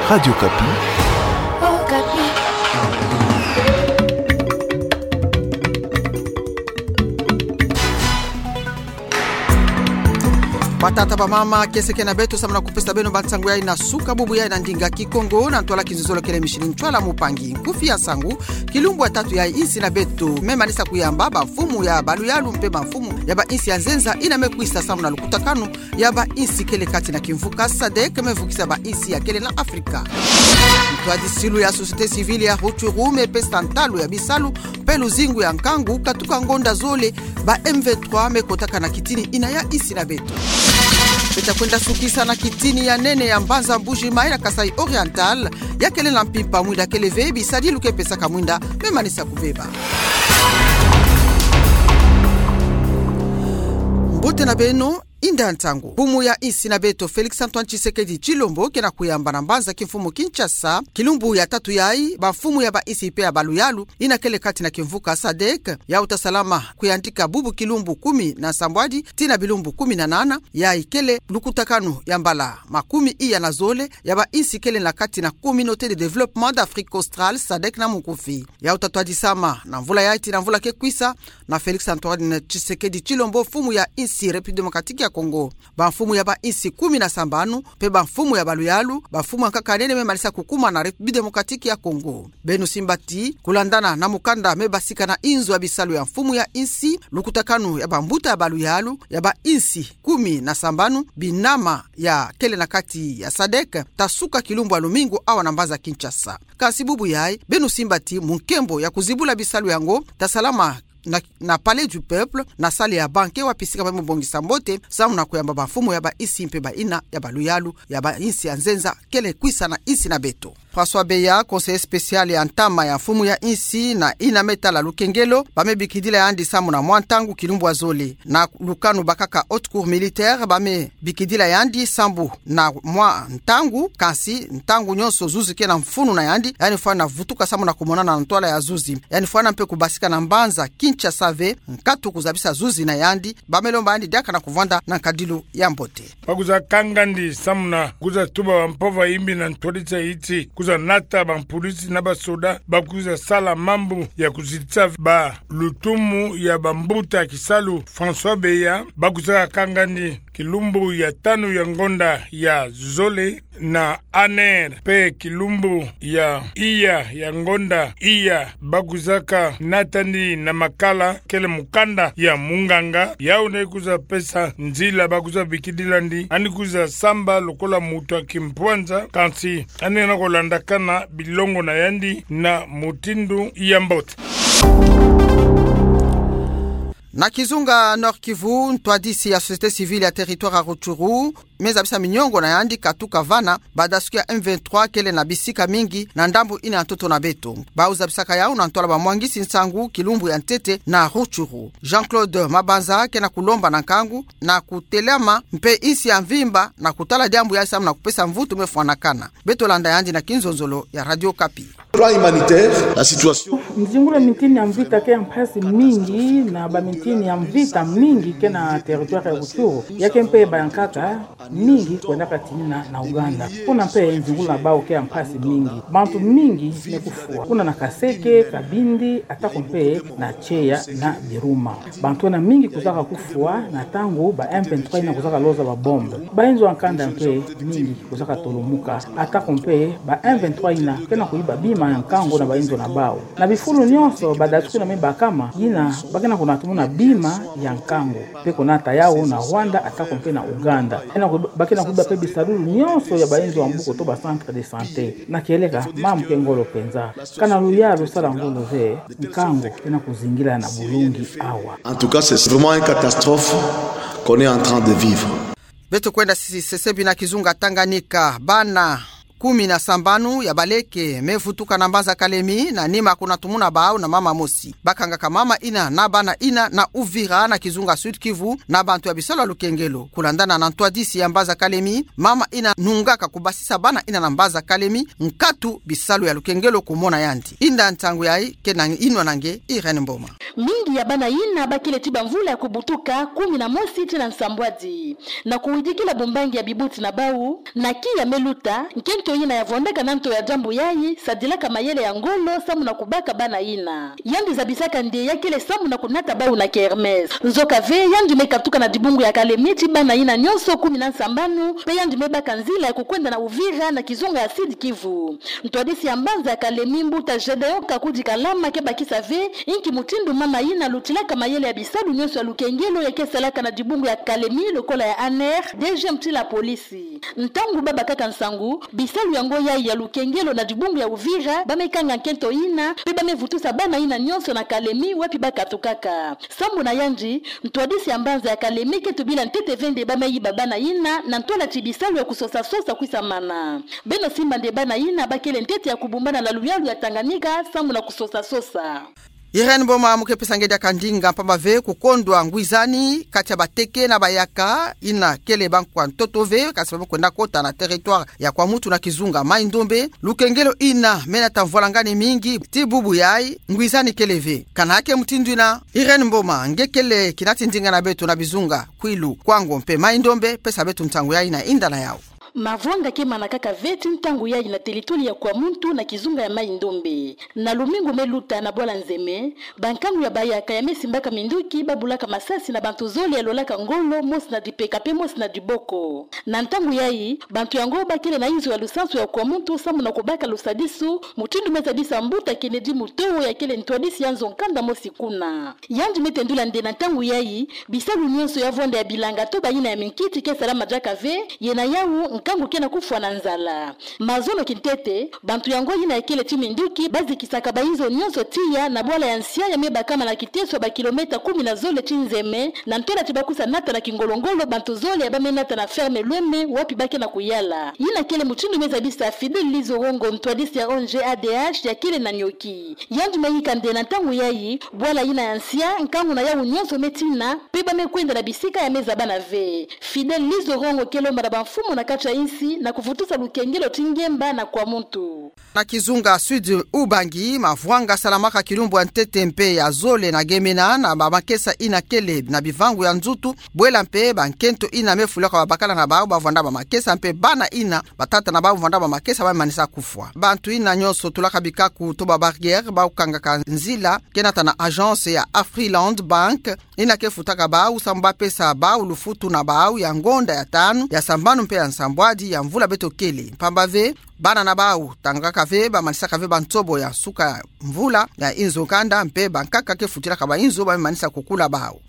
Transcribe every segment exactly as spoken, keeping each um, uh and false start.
Radio Okapi. Batata, bamama, kiese ke na beto, samu na kupesa beno bansangu yayi na suka bubu yayi na ndinga Kikongo, na ntwala kizololo kele Micheline Ntwala, mupangi nkufi ya nsangu. Kilumbu ya tatu yayi insi na beto me manisa kuyamba bamfumu ya baluyalu mpe bamfumu ya bainsi ya nzenza ina me kwisa samu na lukutakanu ya bainsi kele kati na kimvuka sadek me vukisa bainsi ya kele na Afrika. Ntwadisilu ya société civile ya Rutshuru me pesa ntalu ya bisalu mpe luzingu ya nkangu katuka ngonda zole ba M vingt-trois me kotaka na kitini ina ya insi na beto. Beta kwenda sukisa na kitini ya nene ya mbanza Mbuji-Mayi na Kasaï Oriental, ya kele na mpimpa mwinda kele ve, bisadilu ke pesaka mwinda me manisa kubeba. Mbote na beno, inda ntangu. Mfumu ya insi na beto Félix Antoine Tshisekedi Tshilombo ke na kuyamba na mbanza kimfumu Kinshasa, kilumbu ya tatu yayi bamfumu ya bainsi mpe ya baluyalu ina kele kati na kimvuka sadek, yawu ta salama kuyandika bubu kilumbu kumi na nsambwadi tii na bilumbu kumi na nana, yayi kele lukutakanu ya mbala makumi iya na zole ya bainsi kele na kati na Communauté de développement d'Afrique australe, sadek na munkufi. Yawu ta twadisama na mvula yayi tii na mvula ke kwisa na Félix Antoine Tshisekedi Tshilombo, mfumu ya insi République démocratique ya Congo. Bamfumu ya bainsi kumi na sambanu mpe bamfumu ya baluyalu, bamfumu ya nkaka nene me manisa kukuma na République démocratique ya Congo. Beno simba ti, kulandana na mukanda me basika na inzo ya bisalu ya mfumu ya insi, lukutakanu ya bambuta ya baluyalu ya bainsi kumi na sambanu binama ya kele na kati ya sadek ta suka kilumbu ya lumingu awa na mbanza Kinshasa. Kasi bubu yayi, beno simba ti mu nkembo ya kuzibula bisalu yango ta salama na, na Palais du Peuple, na salle ya banquet wapi sika ba me bongisa mbote samu na kuyamba bamfumu ya bainsi mpe baina ya baluyalu ya bainsi ya nzenza kele kwisa na insi na beto. François Beya, conseiller spécial ya ntama ya mfumu ya insi na ina me tala lukengelo, ba me bikidila yandi samu na mwa ntangu kilumbu ya zole. Na lukanu bakaka haute cour militaire, ba me bikidila yandi sambu na mwa ntangu, kasi ntangu nyonso zuzi ke na mfunu na yandi, yandi fwana vutuka samu na kumonana na ntwala ya zuzi. Yandi fwana mpe kubasika na mbanza Kinshasa ve, nkatu kuzabisa zuzi na yandi, ba me lomba yandi diaka na kuvwanda na nkadilu ya mbote. Ba kwiza kangandi samu na kwiza tuba bampova yimbi na ntwadisa yiti, kwiza nata bampolisi na basoda ba kwiza sala mambu ya kuzitisa ba lutumu ya bambuta kisalu. François Beya, ba kwiza kangandi kilumbu ya tanu ya ngonda ya zole na aner, mpe kilumbu ya iya ya ngonda iya, ba kwizaka natandi na makala kele mukanda ya munganga, yawu nde kwiza pesa nzila ba kwiza bikidilandi, yandi kwiza samba lokola mutu ya kimpwanza, kasi yandi na kulandakana bilongo na yandi na mutindu ya mbote. Na kizunga Nord-Kivu, ntwadisi ya société civile ya territoire ya Rutshuru me zabisa miniongo na yandi katuka vana badasuki ya M vingt-trois kele na bisika mingi na ndambu ina ya ntoto na beto. Bawu zabisaka yawu na ntwala bamwangisi nsangu kilumbu ya ntete na Rutshuru. Jean-Claude Mabanza ke na kulomba na nkangu na kutelama mpe insi ya mvimba na kutala diambu yayi samu na kupesa mvutu me fwanakana. Beto landa yandi na kinzonzolo ya Radio Okapi. Plan humanitaire, la situation. Nzingulu ya mintini ya mvita ke ya mpasi mingi, na bamintini ya mvita mingi ke na territoire ya Rutshuru, ya ke mpe bayankaka mingi kwendaka tinina na Ouganda. Kuna mpe nzingulu na bawu ke ya mpasi mingi. Bantu mingi me kufwa. Kuna na Kaseke, Kabindi, atako mpe na Tshieya na Biruma. Bantu ena mingi kwizaka kufwa na ntangu ba M vingt-trois ina kwizaka loza babombe. Bayinzo ya nkanda mpe mingi kwizaka tolumuka. Atako mpe ba M vingt-trois ina ke na kuyiba bima ya nkangu na bayinzo na bawu. Na bifulu nyonso, badasuki na me bakama, yina ba ke na kunatumuna bima ya nkangu. Mpe kunata yawu na Rwanda atako mpe na Ouganda. Ena ku-, ba ke na kuyiba mpe bisalulu nyonso ya bayinzo ya mbuku to ba centre de santé. Na kieleka, mambu ke ngolo mpenza. Kana luyalu sala ngolo ve, nkangu ke na kuzingila na bulungi awa. En tout cas, c'est vraiment une catastrophe qu'on est en train de vivre. Beto kwenda sisi sesebi na kizunga Tanganyika, bana kumi na sambanu ya baleke me vutuka na mbanza Kalemi, na nima kunatumuna bawu na mama mosi. Bakangaka mama ina na bana ina na Uvira na kizunga Sud-Kivu na bantu ya bisalu ya lukengelo. Kulandana na ntwadisi ya mbanza Kalemi, mama ina nungaka kubasisa bana ina na mbanza Kalemi, nkatu bisalu ya lukengelo kumona yandi. Inda ntangu yayi ke na inwa na nge Irène Mboma. Mingi ya bana ina bakele ti bamvula ya kubutuka kumi na mosi tii na nsambwadi, na kuwidikila bumbangi ya bibuti na bawu, na kiya me luta, nkento Yina yavondaka na nto ya diambu yayi, sadilaka mayele ya ngolo samu na kubaka bana yina. Yandi zabisaka nde ya kele samu na kunata bawu na kermesse. Nzoka ve, yandi me katuka na dibungu ya Kalemi ti bana yina nyonso kumi na sambanu, mpe yandi me baka nzila ya kukwenda na Uvira na kizunga ya Sud-Kivu. Ntwadisi ya mbanza ya Kalemi, mbuta Gedeon Kakudi Kalama, ke bakisa ve inki mutindu mama yina lutilaka mayele ya bisalu nyonso ya lukengelo ya ke salaka na dibungu ya Kalemi lokola ya ANR, deuxième ti la police. Ntangu ba bakaka nsangu, bisalu yango yayi ya lukengelo na dibungu ya Uvira ba me kanga nkento yina, mpe ba me vutusa bana yina nyonso na Kalemi wapi ba katukaka. Sambu na yandi, ntwadisi ya mbanza ya Kalemi ke tubila ntete ve nde ba me yiba bana yina, na ntwala ti bisalu ya kusosa-sosa kwisamana. Beno simba nde bana yina ba kele ntete ya kubumbana na luyalu ya Tanganyika, sambu na kusosa-sosa. Irène Mboma, mu ke pesa nge diaka ndinga, mpamba ve kukondwa ngwizani kati ya bateke na bayaka, yina kele bankwa ntoto ve, kasi ba me kwenda kota na territoire ya Kwamouth na kizunga Mai-Ndombe. Lukengelo yina me nata mvwalangani mingi, ti bubu yayi ngwizani kele ve. Kana ke mutindu yina? Irène Mboma, nge kele kinati ndinga na beto na bizunga Kwilu, Kwango mpe Mai-Ndombe, pesa beto ntangu yayi na inda na yawu. Mavwanga ke manakaka ve ti ntangu yayi na territoire ya Kwamouth na kizunga ya Mai-Ndombe. Na lumingu me luta na bwala Nzeme, bankangu ya bayaka ya me simbaka minduki ba bulaka masasi na bantu zole ya lolaka ngolo, mosi na dipeka mpe mosi na diboko. Na ntangu yayi, bantu yango ba kele na inzo ya lusansu ya Kwamouth sambu na kubaka lusadisu, mutindu me zabisa mbuta Kennedy Mutoho ya kele ntwadisi ya nzo nkanda mosi kuna. Yandi me tendula nde na ntangu yayi, bisalu nyonso ya vwanda ya bilanga to bayina ya minkiti ke salama diaka ve, ye na yawu nkangu ke na kufwa na nzala. Mazono kintete, bantu yango yina ya kele ti minduki ba zikisaka bainzo nyonso tiya na bwala ya nsia ya me bakama na kiteso ya bakilomètre kumi na zole ti Nzeme, na ntwala ti ba kwiza nata na kingolo-ngolo bantu zole ya ba me nata na ferme Lweme wapi ba ke na kuyala. Yina kele mutindu me zabisa Fidèle Lizorongo, ntwadisi ya ONG A D H ya kele na Nioki. Yandi me yika nde na ntangu yayi, bwala yina ya nsia, nkangu na yawu nyonso me tina, mpe ba me kwenda na bisika ya me zabana ve. Fidèle Lizorongo ke lomba na bamfumu na kati ya insi na kuvutusa lukengelo ti ngemba na Kwamouth. Na kizunga Sud-Ubangi, mavwanga salamaka kilumbu ya ntete mpe ya zole na Gemena, na bamakesa yina kele na bivangu ya nzutu, bwela mpe bankento yina me fulaka babakala na bawu bavwanda bamakesa mpe bana yina batata na bawu bavwanda bamakesa ba me manisa kufwa. Bantu yina nyonso tulaka bikaku to ba barrières, bawu kangaka nzila ke nata na agence ya Afriland Bank, yina ke futaka bawu sambu ba pesa bawu lufutu na bawu ya ngonda ya tanu, ya sambanu mpe ya nsambwadi ya mvula beto kele. Mpamba ve, bana na bawu tangaka ve, ba manisaka ve bansobo ya suka mvula ya inzo nkanda, mpe bankaka ke futilaka bainzo ba me manisa kukula bawu.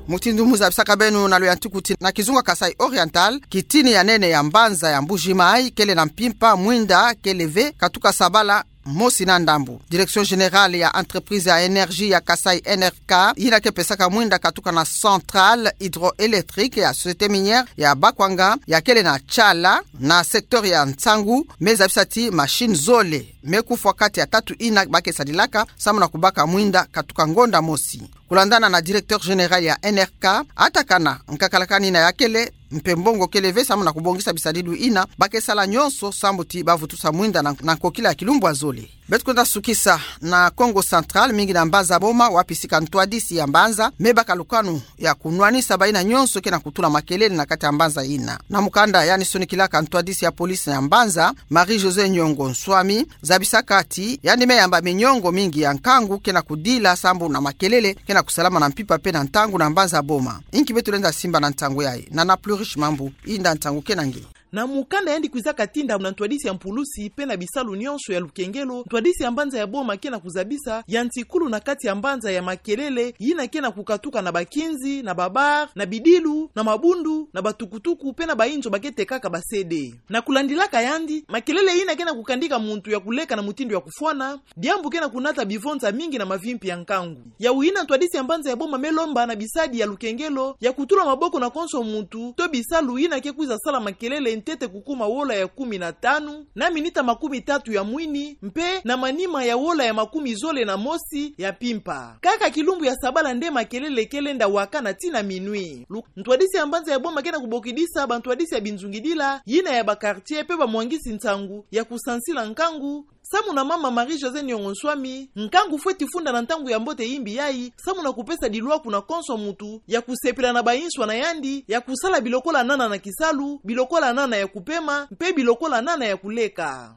Mutindu mu zabisaka beno na luyantikuti, na kizunga Kasaï Oriental, kitini ya nene ya mbanza ya Mbuji-Mayi kele na mpimpa, mwinda kele ve, katuka sabala mosi na ndambu. Direction générale ya entreprise ya énergie ya Kasaï, N R K, yina ke pesaka mwinda katuka na centrale hydroélectrique ya société minière ya Bakwanga, ya kele na Tshala, na secteur ya Nsangu, me zabisa ti machine zole me kufwa kati ya tatu yina ba ke sadilaka sambu na kubaka mwinda katuka ngonda mosi. Kulandana na directeur général ya N R K, atakana nkakalakani yina ya kele, mpe mbongo kele ve sambu na kubongisa bisadilu yina, ba ke sala nyonso sambu ti ba vutusa mwinda na, na nkokila ya kilumbu ya zole. Beto kwenda sukisa na Kongo Central, mingi na mbanza Boma, wapi sika ntwadisi ya mbanza me baka lukanu ya kunwanisa bayina nyonso ke na kutula makelele na kati ya mbanza yina. Na mukanda yandi sonikilaka ntwadisi ya police ya mbanza, Marie-Josée Nyongo Nswami, zabisaka ti yandi me yamba minyongo mingi ya nkangu ke na kudila sambu na makelele ke na kusalama na mpimpa mpe na ntangu na mbanza Boma. Inki beto lenda simba na nsangu yayi? Nana Plurish Mambu, inda nsangu ke na nge. Na mukanda yandi kwizaka tinda na ntwadisi ya mpulusi mpe na bisalu nyonso ya lukengelo, ntwadisi ya mbanza ya Boma ke na kuzabisa yantikulu na kati ya mbanza ya makelele yina ke na kukatuka na bakinzi, na babar, na bidilu, na mabundu, na batukutuku mpe na bainzo ba ke tekaka ba C D. Na kulandilaka yandi, makelele yina ke na kukandika muntu ya kuleka na mutindu ya kufwana, diambu ke na kunata bivonza mingi na mavimpi ya nkangu. Yawu yina ntwadisi ya mbanza ya Boma me lomba na bisadi ya lukengelo ya kutula maboko na konso muntu to bisalu yina ke kwiza sala makelele ntete kukuma wola ya kumi na tanu, na minita makumi tatu ya mwini, mpe na manima ya wola ya makumi zole na mosi ya mpimpa. Kaka kilumbu ya sabala nde makelele ke lenda wakana tii na minuit. Lu-, ntwadisi ya mbanza ya Boma ke na kubokidisa bantwadisi ya binzungidila yina ya ba quartier mpe bamwangisi nsangu ya kusansila nkangu, samu na mama Marie-Josée Niongo Nswami, nkangu fweti funda na ntangu ya mbote imbi yayi, samu na kupesa dilwa kuna konso muntu, ya kusepela na banswa na yandi, ya kusala bi lokola nana na kisalu, bi lokola nana ya kupema, mpe bi lokola nana ya kuleka.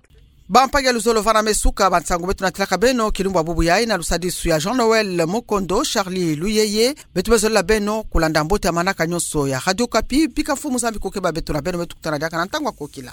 Bampangi ya luzolo, vana me suka ba nsangu beto natalaka beno kilumbu ya bubu yayi na lusadisu ya Jean-Noël Mukondo, Charly Luyeye. Beto me zolila beno kulanda mbote ya manaka nyonso ya Radio Okapi, bika Mfumu Nzambi kukeba beto na beno, beto kutana diaka na ntangu ya kokila.